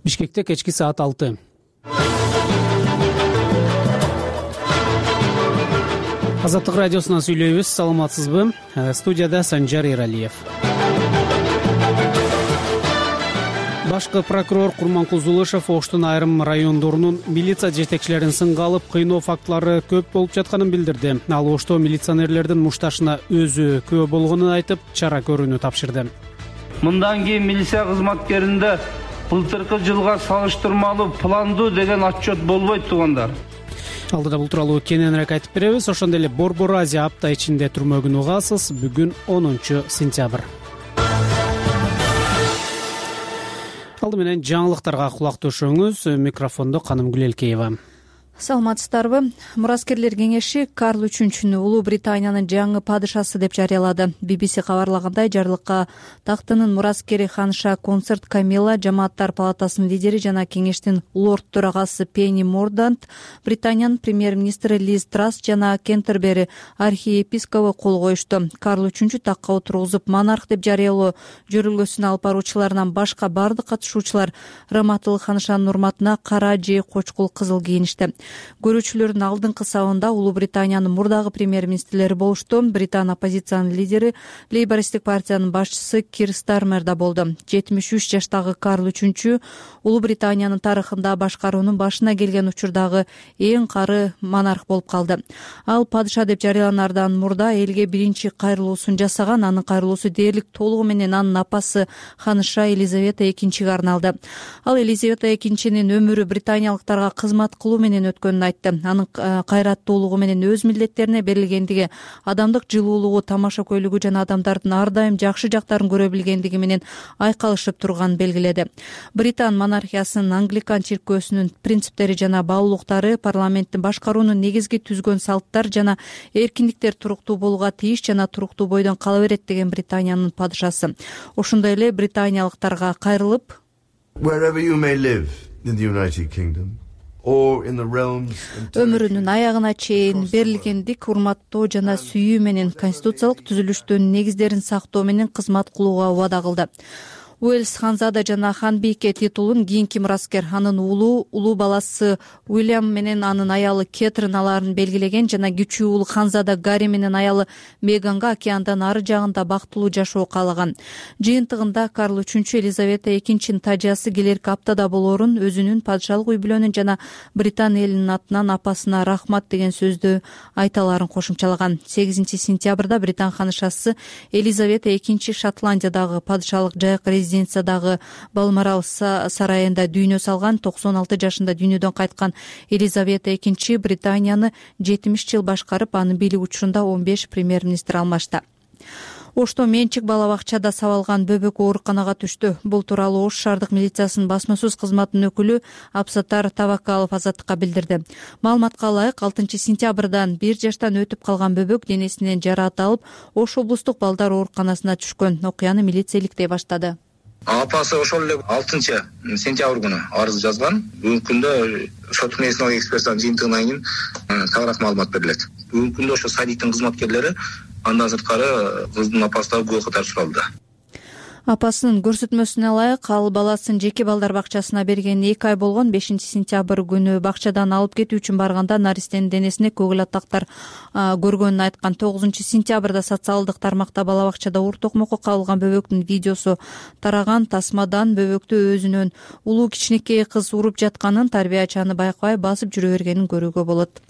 Бишкекте кечки саат 6. Азаттык радиосунан сүйлөйбүз. Саламатсызбы? Студияда Санжар Эралиев. Башкы прокурор Курманкул Зулышев Оштун айрым райондорунун милиция жетекчилерин сынга алып, кыйноо фактылары көп болуп жатканын билдирди. Ал Ошто милиционерлердин мушташына өзү күбө болгонун айтып, чара көрүүнү тапшырды. Мындан кийин милиция кызматкеринде былтыркы жылга салыштырмалуу пландуу деген отчет болбойт туугандар. Алдыда бул тууралуу кененирээк айтып беребиз. Ошондой эле Борбор Азия апта ичинде түрмөгүн угасыз. Бүгүн 10 сентябрь. Алды менен жаңылыктарга кулак төшөңүз. Микрофондо Канымгүл Элкеева. Саламатсыздарбы? Мураскерлер кеңеши Карл III Улуу Британиянын жаңы падышасы деп жарыялады. BBC кабарлагандай, жарлыкка тактынын мураскери ханша концерт Камила, жамааттар палатасынын лидери жана кеңештин лорд төрагасы Пенни Мордант, Британиянын премьер-министри Лиз Трасс жана Кентербери архиепископу кол коюшту. Карл III такка отургузуп монарх деп жарыялоо жөрөлгөсүн алып баруучуларынан башка бардык катышуучулар Раматыл ханшанын урматына кара же кочкул кызыл кийиништи. Көрүүчүлөрдүн алдыңкы сабында Улуу Британиянын мурдагы премьер-министрлери болушту. Британ оппозициянын лидери, лейбористтик партиянын башчысы Кир Стармер да болду. 73 жаштагы Карл III Улуу Британиянын тарыхында башкаруунун башына келген учурдагы эң кары монарх болуп калды. Ал падыша деп жарыяланардан мурда элге биринчи кайрылуусун жасаган. Анын кайрылуусу дээрлик толугу менен анын апасы ханыша Елизавета II арналды. Ал Елизавета II-нин өмүрү британиялыктарга кызмат кылуу менен өткөнүн айтты. Анын кайраттуулугу менен өз милдеттерине берилгендиги, адамдык жылуулугу, тамаша көйлүгү жана адамдардын ар дайым жакшы жактарын көрө билгендиги менен айкалышып турганын белгиледи. Британ монархиясынын англикан чиркөөсүнүн принциптери жана баалуулуктары, парламенттин башкаруунун негизги түзгөн салттар жана эркиндиктер туруктуу болууга тийиш жана туруктуу бойдон кала берет деген Британиянын падышасы. Ошондой эле британиялыктарга кайрылып, Wherever you may live in the United Kingdom, өмүрүнүн аягына чейин берилгендик, урматтоо жана сүйүү менен конституциялык түзүлүштүн негиздерин сактоо менен кызмат кылууга убада кылды. Уэльс ханзада жана ханбийке титулун кийинки мураскер анын улуу баласы Уильям менен анын аялы Кетрин аларын белгилеген жана кичүү уулу ханзада Гарри менен аялы Меганга океандын ары жагында бактылуу жашоо каалаган. Жыйынтыгында Карл III Елизавета II тажыясы келерки аптада болоорун, өзүнүн падышалык үй бүлөнүн жана Британ элинин атынан апасына рахмат деген сөздү айталарын кошумчалаган. 8 сентябрда Британ ханышасы Елизавета II Шотландиядагы падышалык жайык резиденциядагы Балморал сарайында дүйнө салган. 96 жашында дүйнөдөн кайткан Елизавета II Британияны 70 жыл башкарып, анын бийлик учурунда 15 премьер-министр алмашты. Ошто менчик бала бакчада сабалган бөбөк ооруканага түштү. Бул тууралуу Ош шаардык милициясынын басма сөз кызматынын өкүлү Абсаттар Табакалов Азаттыкка билдирди. Маалыматка ылайык, 6 сентябрдан 1 жаштан өтүп калган бөбөк денесинен жараат алып, Ош облустук балдар ооруканасына түшкөн. Окуяны милиция иликтей баштады. Апасы ошол эле 6 сентябрь күнү арыз жазган. Бүгүнкү күндө сот медициналык экспертизанын жыйынтыгынан кийин толук маалымат берилет. Бүгүнкү күндө ошо садиктин кызматкерлери андан сырткары кыздын апасы да күбө катары суралды. Апасынын көрсөтмөсүнө ылайык, ал баласын жеке балдар бакчасына берген 2 ай болгон 5 сентябрь күнү бакчадан алып кетүү үчүн барганда наристенин денесине көгүл атактар көргөнүн айткан. 9 сентябрда социалдык тармакта бала бакчада ур токмокко кабылган бөбөктүн видеосу тараган. Тасмадан бөбөктү өзүнөн улуу кичинекей кыз уруп жатканын, тарбиячы аны байкабай басып жүрө бергенин көрүүгө болот.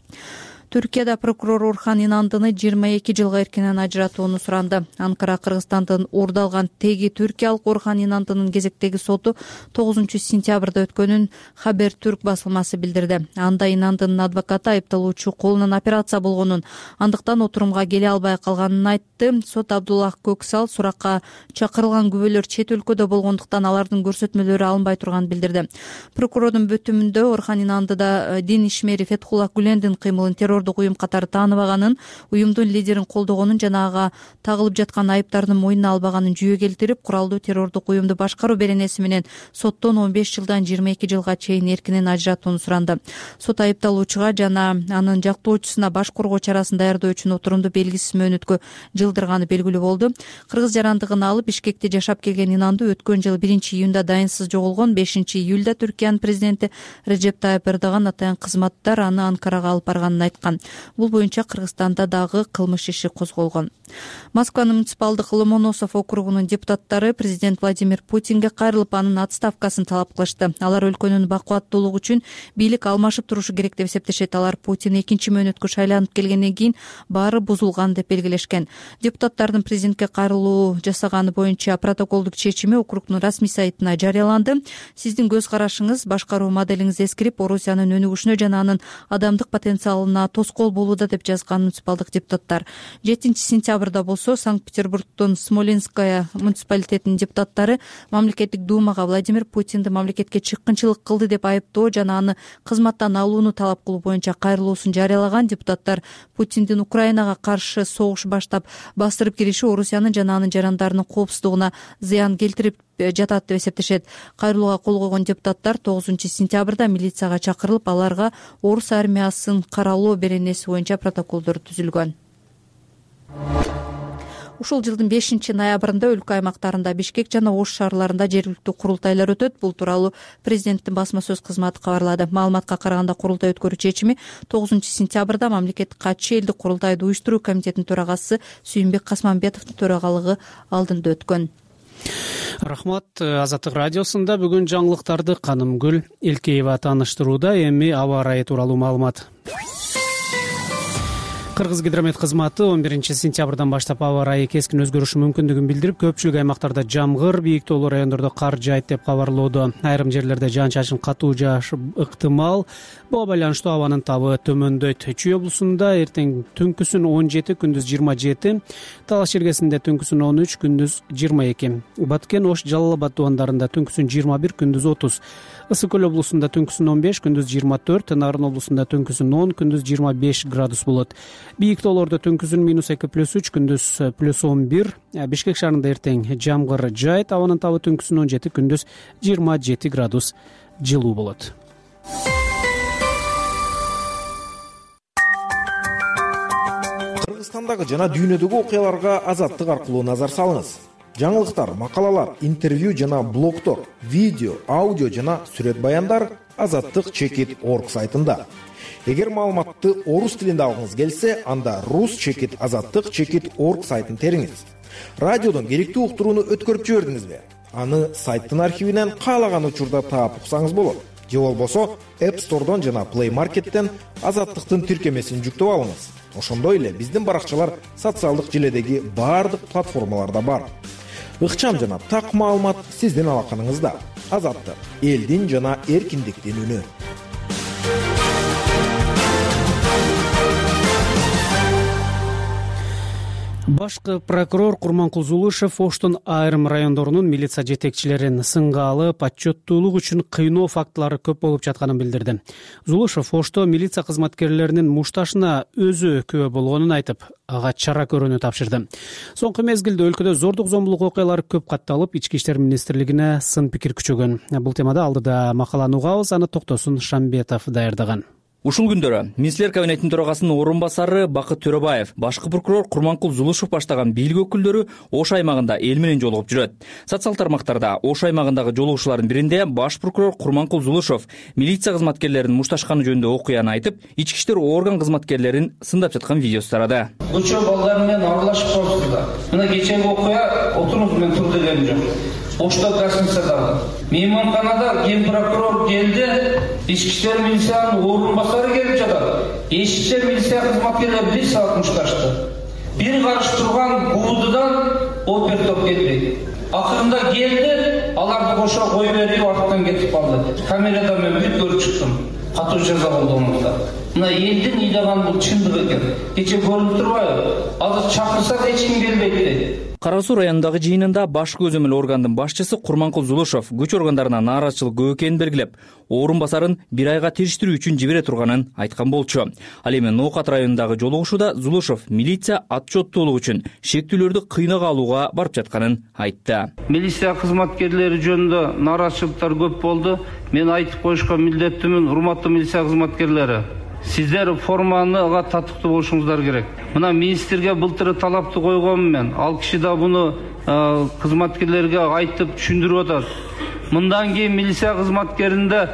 Түркияда прокурор Орхан Инандыны 22 жылга эркинен ажыратууну суранды. Анкара Кыргызстандын уурдалган теги түркиялык Орхан Инандынын кезектеги соту 9 сентябрда өткөнүн Хабер Түрк басылмасы билдирди. Анда Инандынын адвокаты айыпталуучу колунан операция болгонун, андыктан отурумга келе албай калганын айтты. Сот Абдуллах Көксал суракка чакырылган күбөлөр чет өлкөдө болгондуктан алардын көрсөтмөлөрү алынбай турганын билдирди. Прокурордун бүтүмүндө Орхан Инандыда дин ишмери Фетхуллах Гүлендин кыймылын террор террордук уюм катары тааныбаганын, уюмдун лидерин колдогонун жана ага тагылып жаткан айыптардын мойнуна албаганын жүйө келтирип, куралдуу террордук уюмду башкаруу беренеси менен соттон 15 жылдан 22 жылга чейин эркинен ажыратууну суранды. Сот айыпталуучуга жана анын жактоочусуна баш коргоо чарасын даярдоо үчүн отурумду белгисиз мөөнөткө жылдырганы белгилүү болду. Кыргыз жарандыгын алып Бишкекте жашап келген Инанду өткөн жыл 1-июнда дайынсыз жоголгон. 5-июлда Түркиянын президенти Режеп Тайып Эрдоган атайын кызматтар аны Анкарага алып барганын айткан. Бул боюнча Кыргызстанда дагы кылмыш иши козголгон. Москванын муниципалдык Ломоносов округунун депутаттары президент Владимир Путинге кайрылып, анын отставкасын талап кылышты. Алар өлкөнүн бакубаттуулугу үчүн бийлик алмашып турушу керек деп эсептешет. Алар Путин 2 мөөнөткө шайланып келгенден кийин баары бузулган деп белгилешкен. Депутаттардын президентке кайрылуу жасаганы боюнча протоколдук чечими округдун расмий сайтына жарыяланды. Сиздин көз карашыңыз, башкаруу моделиңиз эскирип, Орусиянын өнүгүшүнө жана анын адамдык потенциалына тоскоол болууда деп жазган муниципалдык депутаттар. 7-сентябрда болсо Санкт-Петербургдун Смоленская муниципалитетинин депутаттары мамлекеттик думага Владимир Путинди мамлекетке чыккынчылык кылды деп айыптоо жана аны кызматтан алууну талап кылуу боюнча кайрылуусун жарыялаган. Депутаттар Путиндин Украинага каршы согуш баштап бастырып кириши Орусиянын жана анын жарандарынын коопсуздугуна зыян келтирип жатат деп эсептешет. Кайрылууга кол койгон депутаттар 9-сентябрда милицияга чакырылып, аларга орус армиясын каралоо беренеси боюнча протоколдор түзүлгөн. Ушул жылдын 5-ноябрында өлкө аймактарында Бишкек жана Ош шаарларында жергиликтүү курултайлар өтөт. Бул тууралуу президенттин басма сөз кызматы кабарлады. Маалыматка караганда, курултай өткөрүү чечими 9-сентябрда мамлекеттик катчы элдик курултайды уюштуруу комитетинин төрагасы Сүйүнбек Касманбетовдун төрагалыгы алдында өткөн. Рахмат. Азаттык радиосунда бүгүн жаңылыктарды Канымгүл Элкеева тааныштырууда. Эми аба ырайы тууралуу маалымат. Кыргызгидромет кызматы 11-сентябрдан баштап аба ырайы кескин өзгөрүшү мүмкүндүгүн билдирип, көпчүлүк аймактарда жамгыр, бийик тоолуу райондордо кар жаайт деп кабарлоодо. Айрым жерлерде жаан-чачын катуу жаашы ыктымал. Буга байланыштуу абанын табы төмөндөйт. Чүй облусунда эртең түнкүсүн 17, күндүз 27, Талас Чергесинде түнкүсүн 13, күндүз 22, Баткен, Ош, Жалал Абад тубандарында түнкүсүн 21, күндүз 30, Ысык көл облусунда түнкүсүн 15, күндүз 24, Нарын облусунда түнкүсүн 10, күндүз 25 градус болот. Бийик тоолордо түнкүсүн -2+3, күндүз +11. Бишкек шаарында эртең жамгыр жаайт, абанын табы түнкүсүн 17, күндүз 27 градус жылуу болот. Кыргызстандагы жана дүйнөдөгү окуяларга Азаттык аркылуу назар салыңыз. Жаңылыктар, макалалар, интервью жана блогтор, видео, аудио жана сүрөт баяндар azattik.org сайтында. Эгер маалыматты орус тилинде алгыңыз келсе, анда rus.azattik.org сайтын териңиз. Радиодон керектүү уктурууну өткөрүп жибердиңизби? Аны сайттын архивинен каалаган учурда таап уксаңыз болот. Же болбосо App Store'дон жана Play Market'тен Азаттыктын тиркемесин жүктөп алыңыз. Ошондой эле биздин баракчалар социалдык желедеги баардык платформаларда бар. Ыкчам жана так маалымат сиздин алаканыңызда. Азаттык — элдин жана эркиндиктин үнү. Башкы прокурор Курманкул Зулушев Оштун айрым райондорунун милиция жетекчилерин сынга алып, отчеттуулук үчүн кыйноо фактылары көп болуп жатканын билдирди. Зулушев Ошто милиция кызматкерлеринин мушташына өзү күбө болгонун айтып, ага чара көрүүнү тапшырды. Соңку мезгилде өлкөдө зордук зомбулук окуялары көп катталып, Ички иштер министрлигине сын пикир күчөгөн. Бул темада алдыда макаланы угабыз, аны Токтосун Шамбетов даярдаган. Ушул күндөрү министрлер кабинетинин төрагасынын орун басары Бакыт Төрөбаев, башкы прокурор Курманкул Зулушев баштаган бийлик өкүлдөрү Ош аймагында эл менен жолугуп жүрөт. Социал тармактарда Ош аймагындагы жолугушуулардын биринде баш прокурор Курманкул Зулушев милиция кызматкерлеринин мушташканы жөнүндө окуяны айтып, ички иштер орган кызматкерлерин сындап жаткан видеосу тарады. Көчө балдар менен аралашып калыпсыздар. Мына кечеги окуя отуруңуз мен тур дегеним жок. Ошто гостиницада мейманканада ген прокурор келди, ички иштер милициянын орун басары келип жатат. Эшикте милиция кызматкерлери 1 саат мушташты. Бир карыш турган гуудудан опер топ келди. Акырында келди, аларды кошо кой берип артынан кетип калды. Камерада мен бүт көрүп чыктым. Катуу жаза болду онда. мына элдин ыйлаганы бул чындык экен. Кече көрүнүп турбайбы? Азыр чакырсак эч ким келбейт дейт. Кара Суу районундагы жыйынында баш көзөмөл органдын башчысы Курманкул Зулушов күч органдарына нааразычылык көп экенин белгилеп, орун басарын 1 айга териштирүү үчүн жибере турганын айткан болчу. Ал эми Ноокат районундагы жолугушууда Зулушов милиция отчеттуулук үчүн шектүүлөрдү кыйнага алууга барып жатканын айтты. Милиция кызматкерлери жөнүндө нааразычылыктар көп болду. Мен айтып коюшка милдеттимин, урматтуу милиция кызматкерлери. Сиздер формага татыктуу болушуңуздар керек. Мына министрге былтыр талапты койгонмун мен. Ал киши да буну кызматкерлерге айтып түшүндүрүп атат. Мындан кийин милиция кызматкеринде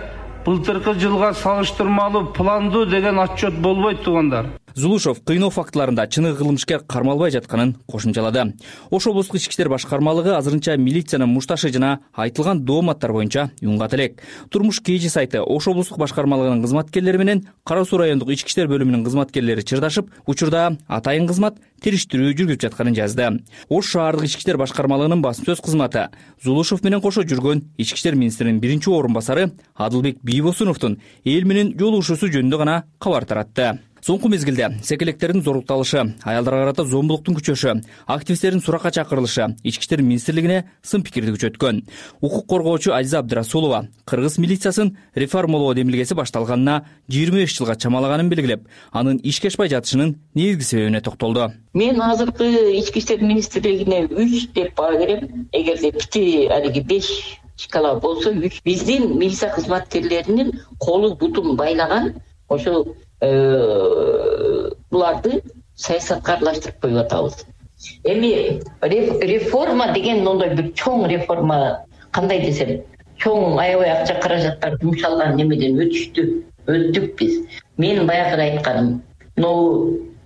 былтыркы жылга салыштырмалуу пландуу деген отчет болбойт туугандар. Зулушов кыйноо фактыларында чыныгы кылмышкер кармалбай жатканын кошумчалады. Ош облустук ички иштер башкармалыгы азырынча милициянын мушташы жана айтылган дооматтар боюнча юнгат элек. Турмуш КЖ сайты Ош облустук башкармалыгынын кызматкерлери менен Кара Суу райондук ички иштер бөлүмүнүн кызматкерлери чырдашып, учурда атайын кызмат териштирүү жүргүзүп жатканын жазды. Ош шаардык ички иштер башкармалыгынын басма сөз кызматы Зулушов менен кошо жүргөн ички иштер министринин биринчи орун басары Адылбек Бийбосуновдун эл менен жолугушуусу жөнүндө гана кабар таратты. Соңку мезгилде секелектердин зорукталышы, аялдарга карата зомбулуктун күчөшү, активисттердин суракка чакырылышы ички иштер министрлигине сын пикирди күчөткөн. Укук коргоочу Азиза Абдырасулова кыргыз милициясын реформалоо демилгеси башталганына 25 жылга чамалаганын белгилеп, анын ишке ашпай жатышынын негизги себебине токтолду. Мен азыркы ички иштер министрлигине 3 деп баа берем. Эгерде бити алиги 5 шкала болсо 3. Биздин милиция кызматкерлеринин колу бутун байлаган ошол буларды саясатка аралаштырып коюп атабыз. Эми реформа деген ондой бир чоң реформа кандай десем, чоң аябай акча каражаттар жумшалган немеден өттүк биз. Мен баягы айтканым,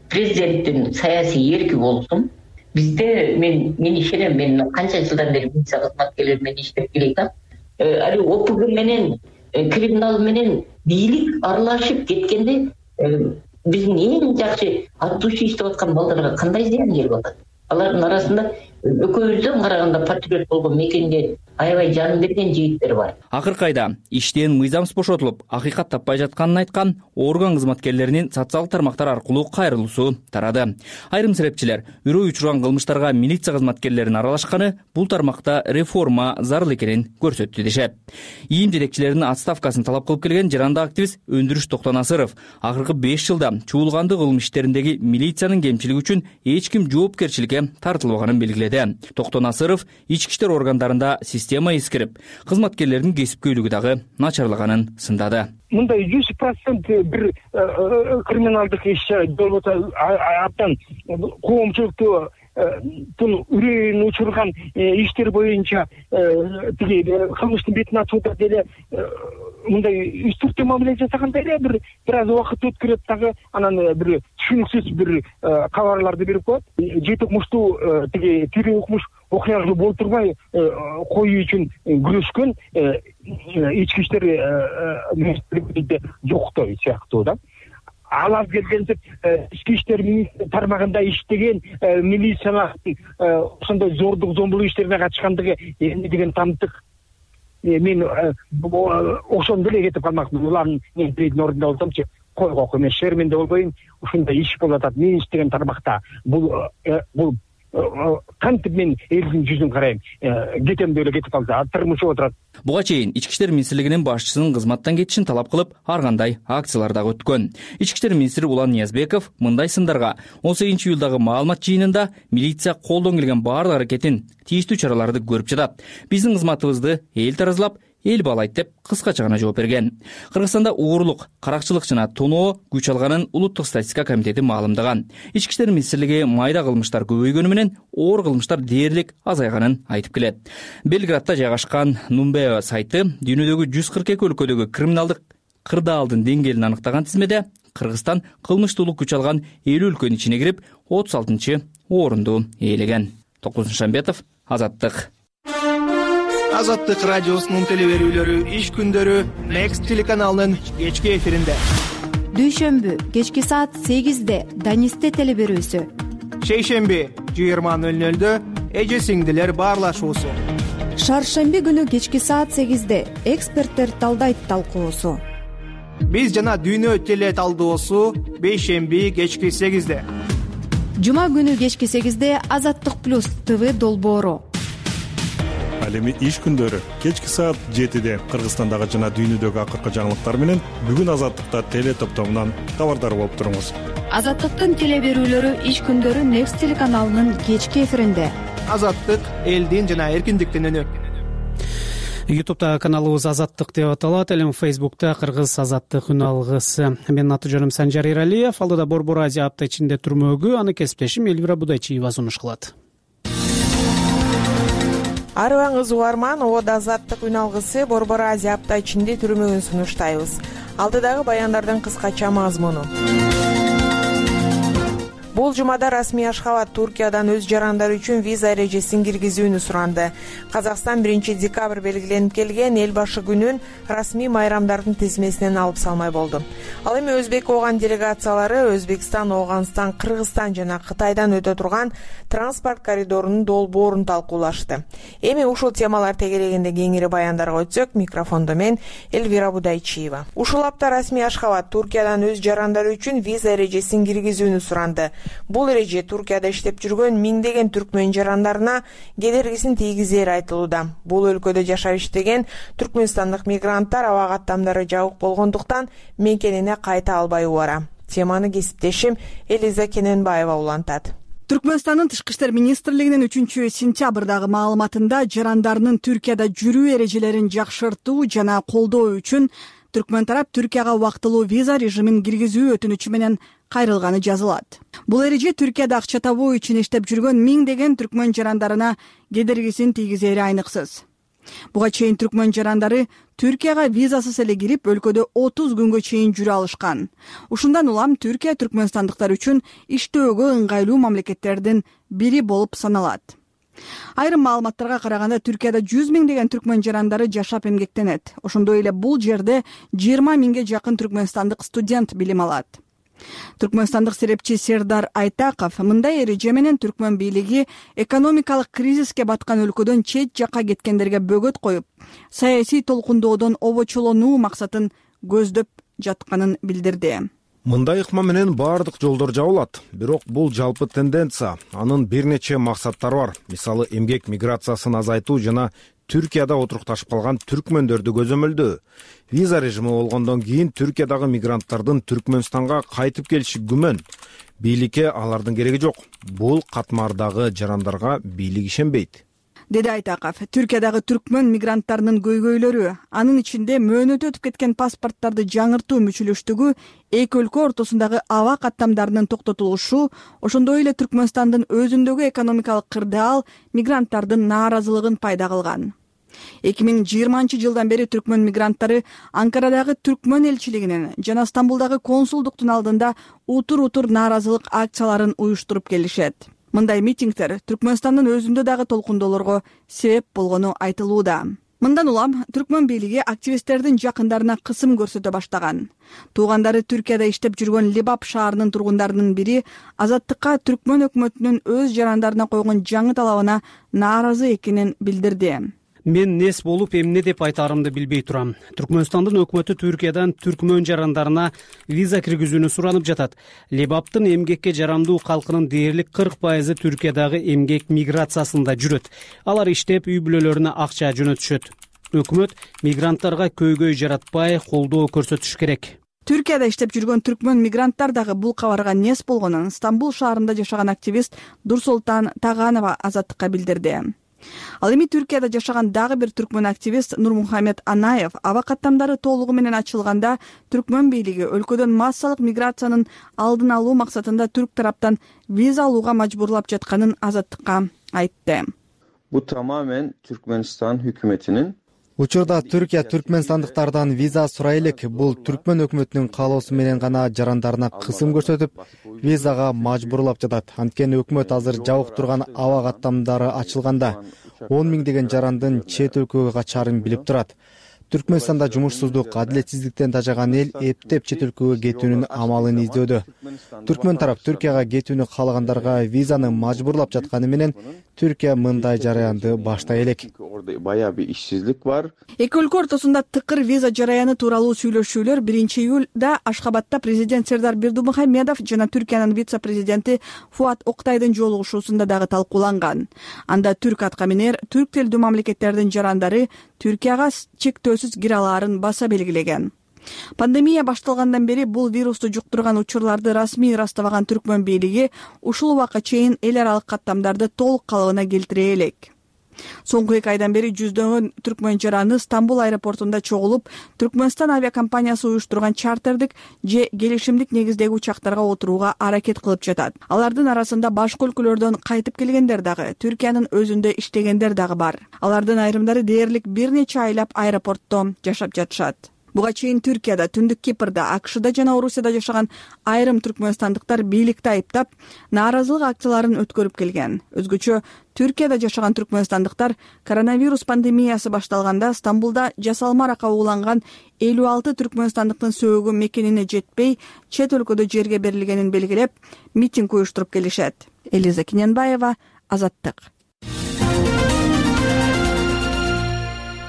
президенттин саясий эрки болсун. Бизде мен ишенем, мен канча жылдан бери милиция кызматкерлери менен иштеп келатам. Али ОПГ менен криминал менен бийлик аралашып кеткенде биздин эң жакшы аттуучу иштеп аткан балдарга кандай зыян келип атат? Алардын арасында экөөбүздөн караганда патриот болгон мекенге аябай жан берген жигиттер бар. Акыркы айда иштен мыйзамсыз бошотулуп, акыйкат таппай жатканын айткан орган кызматкерлеринин социалдык тармактар аркылуу кайрылуусу тарады. Айрым серепчилер үрөй учурган кылмыштарга милиция кызматкерлеринин аралашканы бул тармакта реформа зарыл экенин көрсөттү дешет. ИИМ жетекчилеринин отставкасын талап кылып келген жаранды активист Өндүрүш Токтонасыров акыркы 5 жылда чуулгандуу кылмыш иштериндеги милициянын кемчилиги үчүн эч ким жоопкерчиликке тартылбаганын белгиледи. Токтонасыров ички иштер органдарында система эскирип, кызматкерлердин кесипкөйлүгү дагы начарлаганын сындады. Мындай 100% бир криминалдык иш болбосо абдан коомчулукту үрөйүн учурган иштер боюнча тиги кылмыштын бетин ачууда деле мындай үстүртө мамиле жасаганда эле бир аз убакыт өткөрөт дагы, анан бир түшүнүксүз бир кабарларды берип коет. Жети укмуштуу тиги тирүү укмуш окуялуу болуп турбай коюу үчүн күрөшкөн ички иштер министрлигинде жоктой сыяктуу да. Ал аз келгенде ички иштер тармагында иштеген милициялардын ошондой зордук зомбулук иштерине катышкандыгы эмне деген тамтык. Мен ошондо эле кетип калмакмын. Улардын биредин ордунда болсомчу, койгок эмес шерменде болбойм, ушундай иш болуп атат. Мен иштеген тармакта бул кантип мен элдин жүзүн карайм, кетем деп эле кетип калса, тырмышып отурат. Буга чейин ички иштер министрлигинин башчысынын кызматтан кетишин талап кылып, ар кандай акциялар дагы өткөн. Ички иштер министри Улан Ниязбеков мындай сындарга 18 июлдагы маалымат жыйынында милиция колдон келген баардык аракетин, тийиштүү чараларды көрүп жатат. Биздин кызматыбызды эл таразылап, эл баалайт деп кыскача гана жооп берген. Кыргызстанда угурлук, каракчылык жана тоноо күч алганын Улуттук статистика комитети маалымдаган. Ички иштер министрлиги майда кылмыштар көбөйгөнү менен оор кылмыштар дээрлик азайганын айтып келет. Белградда жайгашкан Numbeo сайты дүйнөдөгү 142 өлкөдөгү криминалдык кырдаалдын деңгээлин аныктаган тизмеде Кыргызстан кылмыштуулук күч алган 50 өлкөнүн ичине кирип 36-орунду ээлеген. Токун Шамбетов, Азаттык. Азаттык радиосунун телеберүүлөрү иш күндөрү Next телеканалынын кечки эфиринде. Дүйшөмбү кечки саат 8-де Данисте телеберүүсү. Шейшемби 20:00-дө эже сиңдилер баарлашуусу. Шаршемби күнү кечки саат 8-де эксперттер талдайт талкуусу. Биз жана Дүйнө теле талдоосу бейшемби кечки 8-де. Жума күнү кечки 8-де Азаттык плюс ТВ долбоору. Ал эми иш күндөрү кечки саат 7-де Кыргызстандагы жана дүйнөдөгү акыркы жаңылыктар менен бүгүн Азаттыкта теле топтомунан кабардар болуп туруңуз. Азаттыктын теле берүүлөрү иш күндөрү Next телеканалынын кечки эфиринде. Азаттык элдин жана эркиндиктин үнү. YouTube'да каналыбыз Азаттык деп аталат, ал эми Facebook'та Кыргыз Азаттык үн алгысы. Менин аты-жөнүм Санжар Эралиев. Алдыда Борбор Азия апта ичинде турмөгү, аны кесиптешим Элвира Будайчиева сунуш кылат. Арыбаңыз угарман, Ода Азаттык үн алгысы Борбор Азия апта ичинде турмөгүн сунуштайбыз. Алдыдагы баяндардын кыскача мазмуну. Бул жумада расмий Ашхабад Туркиядан өз жарандары үчүн виза эрежесин киргизүүнү суранды. Казакстан 1-декабрь белгиленип келген эл башы күнүн расмий майрамдардын тизмесинен алып салмай болду. Ал эми өзбек ооган делегациялары Өзбекстан, Ооганстан, Кыргызстан жана Кытайдан өтө турган транспорт коридорунун долбоорун талкуулашты. Эми ушул темалар тегерегинде кеңири баяндарга өтсөк, микрофондо мен Элвира Будайчиева. Ушул апта расмий Ашхабад Туркиядан өз жарандары үчүн виза эрежесин киргизүүнү суранды. Бул эреже Туркияда иштеп жүргөн миңдеген түркмөн жарандарына кедергисин тийгизери айтылууда. Бул өлкөдө жашап иштеген түркмөнстандык мигранттар аба каттамдары жабык болгондуктан мекенине кайта албай убара. Теманы кесиптешим Элиза Кененбаева улантат. Түркмөнстандын Тышкы иштер министрлигинин 3-сентябрдагы маалыматында жарандарынын Түркияда жүрүү эрежелерин жакшыртуу жана колдоо үчүн түркмөн тарап Түркияга убактылуу виза режимин киргизүү өтүнүчү менен кайрылганы жазылат. Бул эреже Түркияда акча табуу үчүн иштеп жүргөн миңдеген түркмөн жарандарына кедергисин тийгизери айныксыз. Буга чейин түркмөн жарандары Түркияга визасыз эле кирип, өлкөдө 30 күнгө чейин жүрө алышкан. Ушундан улам Түркия түркмөнстандыктар үчүн иштөөгө ыңгайлуу мамлекеттердин бири болуп саналат. Айрым маалыматтарга караганда Түркияда 100 миңдеген түркмөн жарандары жашап эмгектенет. Ошондой эле бул жерде 20 миңге жакын түркмөнстандык студент билим алат. Түркмөнстандык серепчи Сердар Айтаков мындай эреже менен түркмөн бийлиги экономикалык кризиске баткан өлкөдөн чет жакка кеткендерге бөгөт коюп, саясий толкундоодон обочолонуу максатын көздөп жатканын билдирди. Мындай ыкма менен баардык жолдор жабылат, бирок бул жалпы тенденция. Анын бир нече максаттары бар. Мисалы, эмгек миграциясын азайтуу жана Түркияда отурукташып калган түркмөндөрдү көзөмөлдөө. Виза режими болгондон кийин Түркиядагы мигранттардын Түркмөнстанга кайтып келиши күмөн. Бийликке алардын кереги жок. Бул катмардагы жарандарга бийлик ишенбейт, деди Айтаков. Түркиядагы түркмөн мигранттарынын көйгөйлөрү, анын ичинде мөөнөтү өтүп кеткен паспорттарды жаңыртуу мүчүлүштүгү, эки өлкө ортосундагы аба каттамдарынын токтотулушу, ошондой эле Түркмөнстандын өзүндөгү экономикалык кырдаал мигранттардын нааразылыгын пайда кылган. 2020-жылдан бери түркмөн мигранттары Анкарадагы түркмөн элчилигинин жана Стамбулдагы консулдуктун алдында утур-утур нааразылык акцияларын уюштуруп келишет. Мындай митингдер Түркмөнстандын өзүндө дагы толкундоолорго себеп болгону айтылууда. Мындан улам түркмөн бийлиги активисттердин жакындарына кысым көрсөтө баштаган. Туугандары Түркияда иштеп жүргөн Либап шаарынын тургундарынын бири Азаттыкка түркмөн өкмөтүнүн өз жарандарына койгон жаңы талабына нааразы экенин билдирди. Мен нес болуп эмне деп айтаарымды билбей турам. Түркмөнстандын өкмөтү Түркиядан түркмөн жарандарына виза киргизүүнү суранып жатат. Лебаптын эмгекке жарамдуу калкынын дээрлик 40% Түркиядагы эмгек миграциясында жүрөт. Алар иштеп, үй бүлөлөрүнө акча жөнөтүшөт. Өкмөт мигранттарга көйгөй жаратпай, колдоо көрсөтүш керек. Түркияда иштеп жүргөн түркмөн мигранттар дагы бул кабарга нес болгонун Стамбул шаарында жашаган активист Дурсултан Таганова Азаттыкка билдирди. Ал эми Түркияда жашаган дагы бир түркмөн активист Нурмухамед Анаев аба каттамдары толугу менен ачылганда түркмөн бийлиги өлкөдөн массалык миграциянын алдын алуу максатында түрк тараптан виза алууга мажбурлап жатканын Азаттыкка айтты. Бул тамамен Түркмөнстан өкмөтүнүн Учурда Түркия түркмөнстандыктардан виза сурай элек. Бул түркмөн өкмөтүнүн каалоосу менен гана жарандарына кысым көрсөтүп, визага мажбурлап жатат. Анткени өкмөт азыр жабык турган аба каттамдары ачылганда 10 миңдеген жарандын чет өлкөгө качарын билип турат. Түркмөнстанда жумушсуздук, адилетсиздиктен тажаган эл эптеп чет өлкөгө кетүүнүн амалын издөөдө. Түркмөн тарап Түркияга кетүүнү каалагандарга визаны мажбурлап жатканы менен Түркия мындай жараянды баштай элек. Баягы ишсиздик бар. Эки өлкө ортосунда тыкыр виза жараяны тууралуу сүйлөшүүлөр 1-июлда Ашхабадта президент Сердар Бердимухамедов жана Түркиянын вице-президенти Фуат Октайдын жолугушуусунда дагы талкууланган. Анда түрк аткаминер түрк тилдүү мамлекеттердин жарандары Түркияга чектөөсүз кире алаарын баса белгилеген. Пандемия башталгандан бери бул вирусту жуктурган учурларды расмий ырастабаган Түркмөн бийлиги ушул убакка чейин эл аралык каттамдарды толук калыбына келтире элек. Соңку 2 айдан бери жүздөгөн түркмөн жараны Стамбул аэропортунда чогулуп, Түркмөнстан авиакомпаниясы уюштурган чартердик же келишимдик негиздеги учактарга отурууга аракет кылып жатат. Алардын арасында башка өлкөлөрдөн кайтып келгендер дагы, Түркиянын өзүндө иштегендер дагы бар. Алардын айрымдары дээрлик бир нече айлап аэропортто жашап жатышат. Буга чейин Түркияда, Түндүк Кипрда, АКШда жана Орусияда жашаган айрым түркмөнстандыктар бийликти айыптап, нааразылык акцияларын өткөрүп келген. Өзгөчө Түркияда жашаган түркмөнстандыктар коронавирус пандемиясы башталганда Стамбулда жасалма рака ууланган 56 түркмөнстандыктын сөөгү мекенине жетпей, чет өлкөдө жерге берилгенин белгилеп, митинг уюштуруп келишет. Элиза Киненбаева, Азаттык.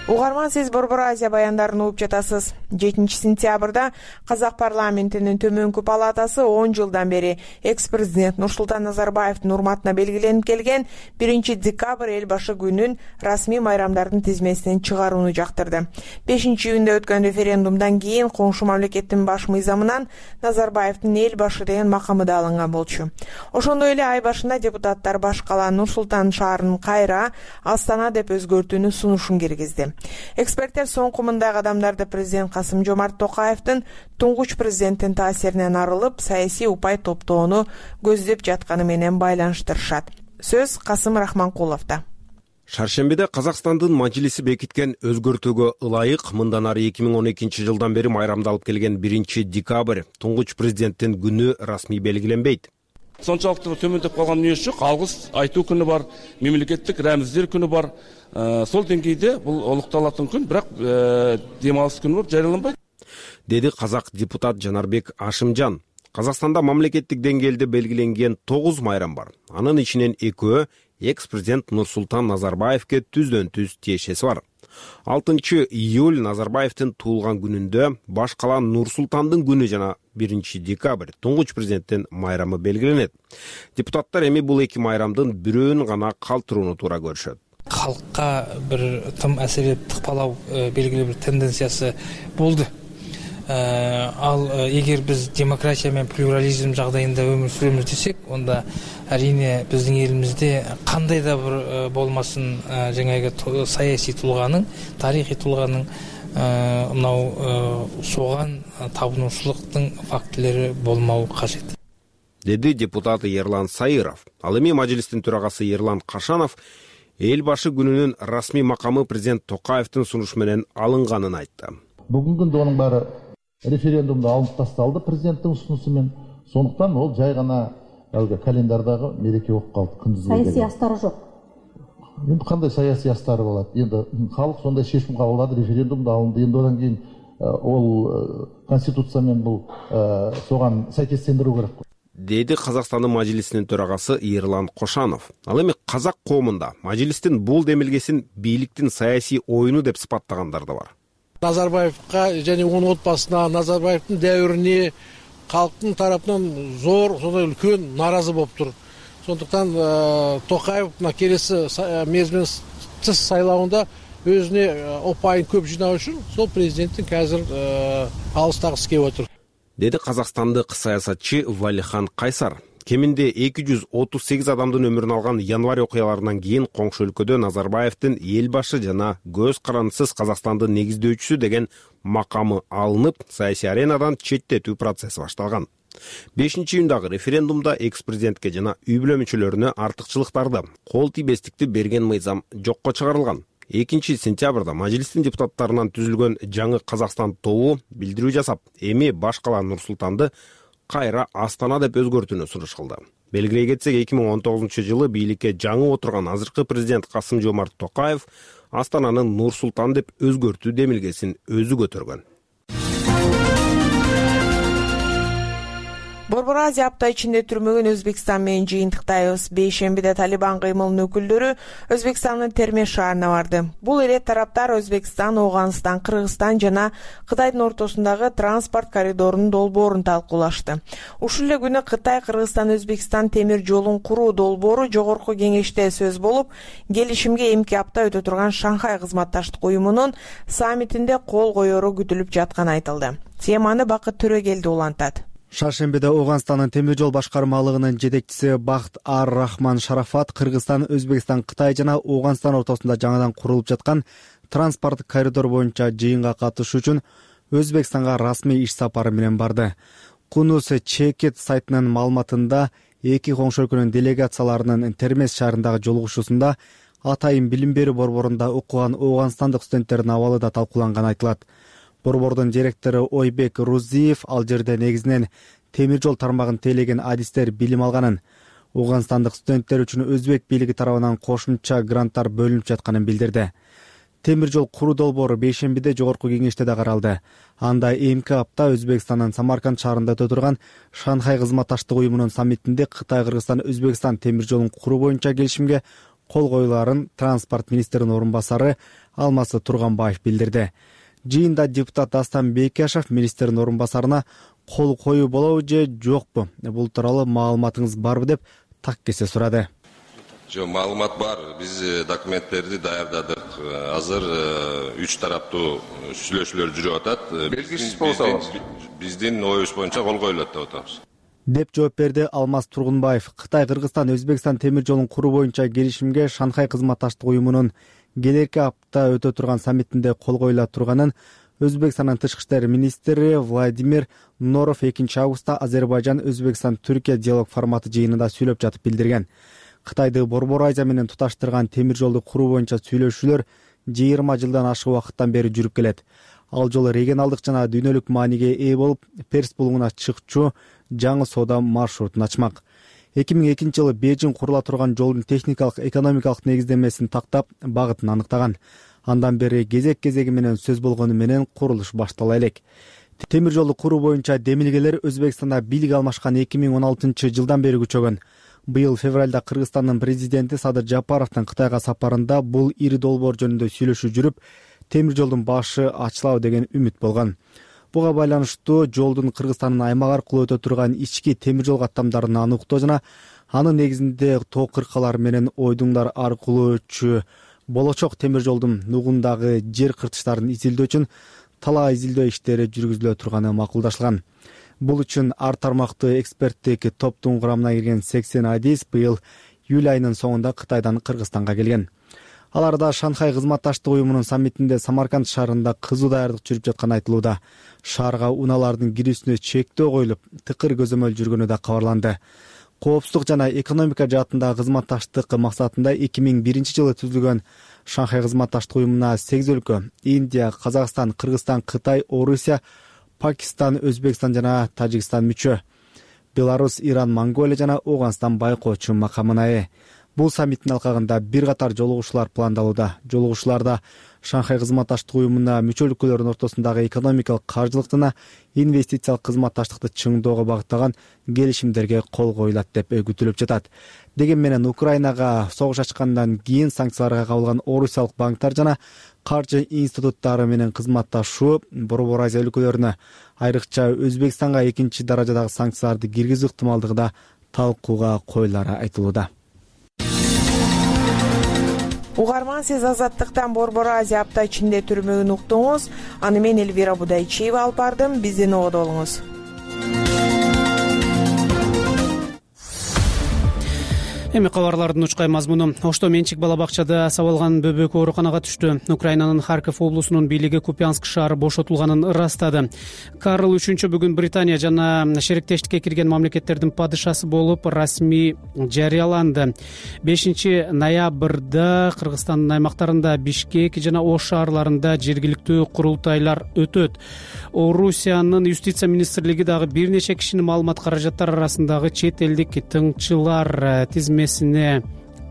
Угарман, сиз Борбор Азия баяндарын угуп жатасыз. 7-сентябрда Казак парламентинин төмөнкү палатасы 10 жылдан бери экс-президент Нурсултан Назарбаевдин урматына белгиленип келген 1-декабрь эл башы күнүн расмий майрамдардын тизмесинен чыгарууну жактырды. 5-июнда өткөн референдумдан кийин коңшу мамлекеттин баш мыйзамынан Назарбаевдин эл башы деген макамы да алынган болчу. Ошондой эле ай башында депутаттар баш кала Нур-Султан шаарынын кайра Астана деп өзгөртүүнү сунушун киргизди. Эксперттер соңку мындай кадамдарды президент Касым-Жомарт Токаевдин туңгуч президенттин таасиринен арылып, саясий упай топтоону көздөп жатканы менен байланыштырышат. Сөз Касым Рахманкуловдо. Шаршембиде Казакстандын Мажилиси бекиткен өзгөртүүгө ылайык мындан ары 2012 жылдан бери майрамдалып келген 1-декабрь туңгуч президенттин күнү расмий белгиленбейт. Сончалыктуу төмөндөп калган эмес жок. Алгыс айтуу күнү бар, мемлекеттик рәмиздер күнү бар. Сол деңгейде бул олукталатын күн, бирок дем алыс күн болуп жарыяланбайт, деди казак депутат Жанарбек Ашымжан. Казакстанда мамлекеттик деңгээлде белгиленген 9 майрам бар. Анын ичинен 2 экс-президент Нурсултан Назарбаевке түздөн-түз тиешеси бар. 6-июль Назарбаевдин туулган күнүндө баш кала Нур-Султандын күнү жана 1-декабрь туңгуч президенттин майрамы белгиленет. Депутаттар эми бул эки майрамдын бирөөнү гана калтырууну туура көрүшөт. Халкка бир тым әсерлеп тыкпалау белгилүү бир тенденциясы болду. Ал эгер биз демократия менен плюрализм жагдайында өмүр сүрөбүз десек, онда әрине биздин элибизде кандай да бир болмасын жаңағы саясий тулганын, тарихий тулганын мынау соган табынуучулуктун фактылары болмау кажет, деди депутат Ерлан Сайыров. Ал эми Мажилистин төрагасы Ерлан Кашанов эл башы күнүнүн расмий макамы президент Токаевдин сунушу менен алынганын айтты. Бүгүнкү күндө анын баары референдумда алынып тасталды президенттин сунуусу менен. Сондуктан ол жай гана календардагы мереке болуп калды. Күндүз саясий астары жок. Эми кандай саясий астары болот? Эми халык сондай чечим кабылдады, референдумда алынды. Эми одан кийин ол конституция менен бул соган сайкестендирүү керек. Деди Казакстандын Мажилисинин төрагасы Ерлан Кошанов. Ал эми казак коомунда Мажилистин бул демилгесин бийликтин саясий оюну деп сыпаттагандар да бар. Назарбаевка және onun отбасына, Назарбаевдин дәурине халктын тараптан зор, сондай үлкөн нааразы болуп тур. Сондуктан Токаев келесі мерзимден тыс сайлауында өзүнө опайын көп жинау үчүн сол президенттин азыр алыстагысы келип отур, деди казакстандык саясатчы Валихан Кайсар. Кеминде 238 адамдын өмүрүн алган январь окуяларынан кийин коңшу өлкөдө Назарбаевдин эл башы жана көз карандысыз Казакстандын негиздөөчүсү деген макамы алынып, саясий аренадан четтетүү процесси башталган. 5-июндагы референдумда экс-президентке жана үй бүлө мүчөлөрүнө артыкчылыктарды, кол тийбестикти берген мыйзам жокко чыгарылган. 2-сентябрда Мажилистин депутаттарынан түзүлгөн жаңы Казакстан тобу билдирүү жасап, эми баш кала Нур-Султанды кайра Астана деп өзгөртүүнү сунуш кылды. Белгилей кетсек, 2019-жылы бийликке жаңы отурган азыркы президент Касым-Жомарт Токаев Астананын Нур-Султан деп өзгөртүү демилгесин өзү көтөргөн. Борбор Азия апта ичинде түрмөгөн Өзбекстан менен жыйынтыктайбыз. Бейшембиде Талибан кыймылынын өкүлдөрү Өзбекстандын Термеш шаарына барды. Бул эле тараптар Өзбекстан, Ооганстан, Кыргызстан жана Кытайдын ортосундагы транспорт коридорунун долбоорун талкуулашты. Ушул эле күнү Кытай Кыргызстан-Өзбекстан темир жолун куруу долбоору жогорку кеңеште сөз болуп, келишимге эмки апта өтө турган Шанхай кызматташтык уюмунун саммитинде кол коеру күтүлүп жатканы айтылды. Теманы Бакыт Төрөгелди улантат. Шаршембиде Ооганстандын темир жол башкармалыгынын жетекчиси Бахт Ар-Рахман Шарафат Кыргызстан, Өзбекстан, Кытай жана Ооганстан ортосунда жаңадан курулуп жаткан транспорт коридор боюнча жыйынга катышуу үчүн Өзбекстанга расмий иш сапары менен барды. Кунус Чекет сайтынын маалыматында эки коңшу өлкөнүн делегацияларынын Термес шаарындагы жолугушуусунда атайын билим берүү борборунда окуган ооганстандык студенттердин абалы да талкууланганы айтылат. Борбордун директору Ойбек Рузиев ал жерде негизинен темир жол тармагын тейлеген адистер билим алганын, ооганстандык студенттер үчүн өзбек бийлиги тарабынан кошумча гранттар бөлүнүп жатканын билдирди. Темир жол куруу долбоору бейшембиде жогорку кеңеште да каралды. Анда эмки апта Өзбекстандын Самарканд шаарында өтө турган Шанхай кызматташтык уюмунун саммитинде Кытай, Кыргызстан, Өзбекстан темир жолун куруу боюнча келишимге кол коюларын транспорт министринин орун басары Алмасы Турганбаев билдирди. Жыйында депутат Дастан Бекешев министрдин орун басарына кол коюу болобу же жокпу, бул тууралуу маалыматыңыз барбы деп так кесе сурады. Жок, маалымат бар. Биз документтерди даярдадык. Азыр 3 тараптуу сүйлөшүүлөр жүрүп атат. Белгисиз болсо биздин оюбуз боюнча кол коюлат деп атабыз. Деп жооп берди Алмаз Тургунбаев. Кытай, Кыргызстан, Өзбекстан темир жолун куруу боюнча келишимге Шанхай кызматташтык уюмунун келерки апта өтө турган саммитинде кол коюла турганын Өзбекстандын тышкы иштер министри Владимир Норов 2-августта Азербайжан, Өзбекстан, Түркия диалог форматы жыйынында сүйлөп жатып билдирген. Кытайды Борбор Азия менен туташтырган темир жолду куруу боюнча сүйлөшүүлөр 20 жылдан ашык убакыттан бери жүрүп келет. Ал жол регионалдык жана дүйнөлүк мааниге ээ болуп, Перс булуңуна чыкчу жаңы соода маршрутун ачмак. 2002-жылы Бейжин курула турган жолдун техникалык, экономикалык негиздемесин тактап, багытын аныктаган. Андан бери кезек-кезеги менен сөз болгону менен курулуш баштала элек. Темир жолду куруу боюнча демилгелер Өзбекстанда бийлик алмашкан 2016-жылдан бери күчөгөн. Быйыл февралда Кыргызстандын президенти Садыр Жапаровдун Кытайга сапарында бул ири долбоор жөнүндө сүйлөшүү жүрүп, темир жолдун башы ачылабы деген үмүт болгон. Буга байланыштуу жолдун Кыргызстандын аймак аркылуу өтө турган ички темир жол каттамдарын аныктоо жана анын негизинде тоо кыркалар менен ойдуңдар аркылуу өтчү болочок темир жолдун нугундагы жер кыртыштарын изилдөө үчүн талаа изилдөө иштери жүргүзүлө турганы макулдашылган. Бул үчүн ар тармактуу эксперттик топтун курамына кирген 80 адис быйыл июль айынын соңунда Кытайдан Кыргызстанга келген. Аларда Шанхай кызматташтык уюмунун саммитинде Самарканд шаарында кызуу даярдык жүрүп жатканы айтылууда. Шаарга унаалардын кирүүсүнө чектөө коюлуп, тыкыр көзөмөл жүргөнү да кабарланды. Коопсуздук жана экономика жаатындагы кызматташтык максатында 2001-жылы түзүлгөн Шанхай кызматташтык уюмуна 8 өлкө — Индия, Казакстан, Кыргызстан, Кытай, Орусия, Пакистан, Өзбекстан жана Тажикстан мүчө. Беларусь, Иран, Монголия жана Ооганстан байкоочу макамына ээ. Бул саммиттин алкагында бир катар жолугушуулар пландалууда. Жолугушууларда Шанхай кызматташтык уюмуна мүчө өлкөлөрдүн ортосундагы экономикалык, каржылык жана инвестициялык кызматташтыкты чыңдоого багытталган келишимдерге кол коюлат деп күтүлүп жатат. Деген менен Украинага согуш ачкандан кийин санкцияларга кабылган орусиялык банктар жана каржы институттары менен кызматташуу Борбор Азия өлкөлөрүнө, айрыкча Өзбекстанга 2-даражадагы санкцияларды киргизүү ыктымалдыгы да талкууга коюлары айтылууда. Угарман, сиз Азаттыктан Борбор Азия апта ичинде түрмөгүн уктуңуз. Аны мен Элвира Будайчиева алып бардым. Бизден ободо болуңуз. Эми кабарлардын учкай мазмуну. Ошто менчик бала бакчада сабалган бөбөк ооруканага түштү. Украинанын Харьков облусунун бийлиги Купянск шаары бошотулганын ырастады. Карл III бүгүн Британия жана шериктештикке кирген мамлекеттердин падышасы болуп расмий жарыяланды. 5-ноябрда Кыргызстандын аймактарында Бишкек жана Ош шаарларында жергиликтүү курултайлар өтөт. Орусиянын юстиция министрлиги дагы бир нече кишинин маалымат каражаттары арасындагы чет элдик тыңчылар тизмесине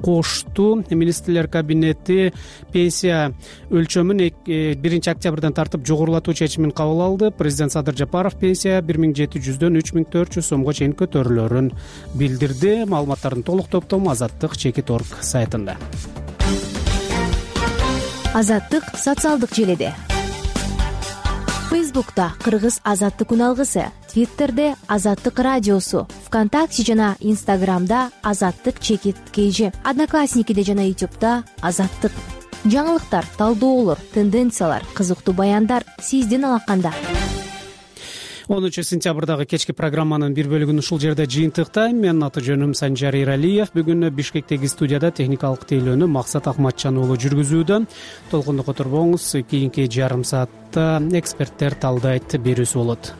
кошту. Министрлер кабинети пенсия өлчөмүн 1 октябрдан тартып жогорулатуу чечимин кабыл алды. Президент Садыр Жапаров пенсия 1700дөн 3400 сомго чейин көтөрүлөрүн билдирди. Маалыматтардын толук топтому Азаттык.org сайтында. Азаттык социалдык желиде. Фейсбукта Кыргыз Азаттык үналгысы, Твиттерде Азаттык радиосу, ВКонтакте жана Инстаграмда Азаттык_KG, Одноклассникиде жана Ютубта Азаттык. Жаңылыктар, талдоолор, тенденциялар, кызыктуу баяндар сиздин алаканда. 10-сентябрдагы кечки программанын бир бөлүгүн ушул жерде жыйынтыктайм. Менин аты жөнүм Санжар Иралиев. Бүгүн Бишкектеги студияда техникалык тейлөөнү Максат Акматжан уулу жүргүзүүдө. Толкунду которбоңуз. Кийинки жарым саатта эксперттер талдайт берүүсү болот.